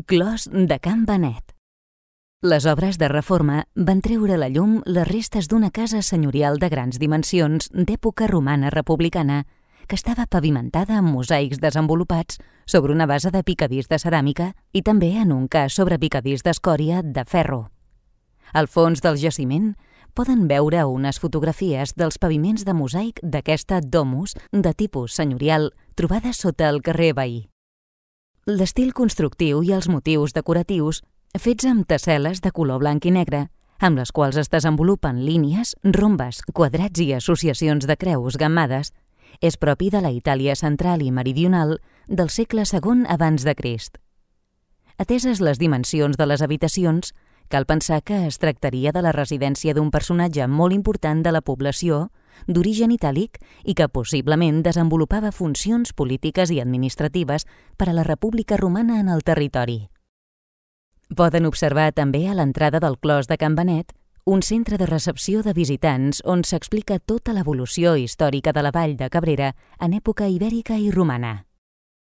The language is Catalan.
Clos de Can Benet. Les obres de reforma van treure a la llum les restes d'una casa senyorial de grans dimensions d'època romana republicana que estava pavimentada amb mosaics desenvolupats sobre una base de picadís de ceràmica i també en un cas sobre picadís d'escòria de ferro. Al fons del jaciment poden veure unes fotografies dels paviments de mosaic d'aquesta domus de tipus senyorial trobada sota el carrer veí. L'estil constructiu i els motius decoratius fets amb tessel·les de color blanc i negre, amb les quals es desenvolupen línies, rombes, quadrats i associacions de creus gammades, és propi de la Itàlia central i meridional del segle II abans de Crist. Ateses les dimensions de les habitacions, cal pensar que es tractaria de la residència d'un personatge molt important de la població, d'origen itàlic i que possiblement desenvolupava funcions polítiques i administratives per a la República Romana en el territori. Poden observar també a l'entrada del Clos de Can Benet un centre de recepció de visitants on s'explica tota l'evolució històrica de la vall de Cabrera en època ibèrica i romana.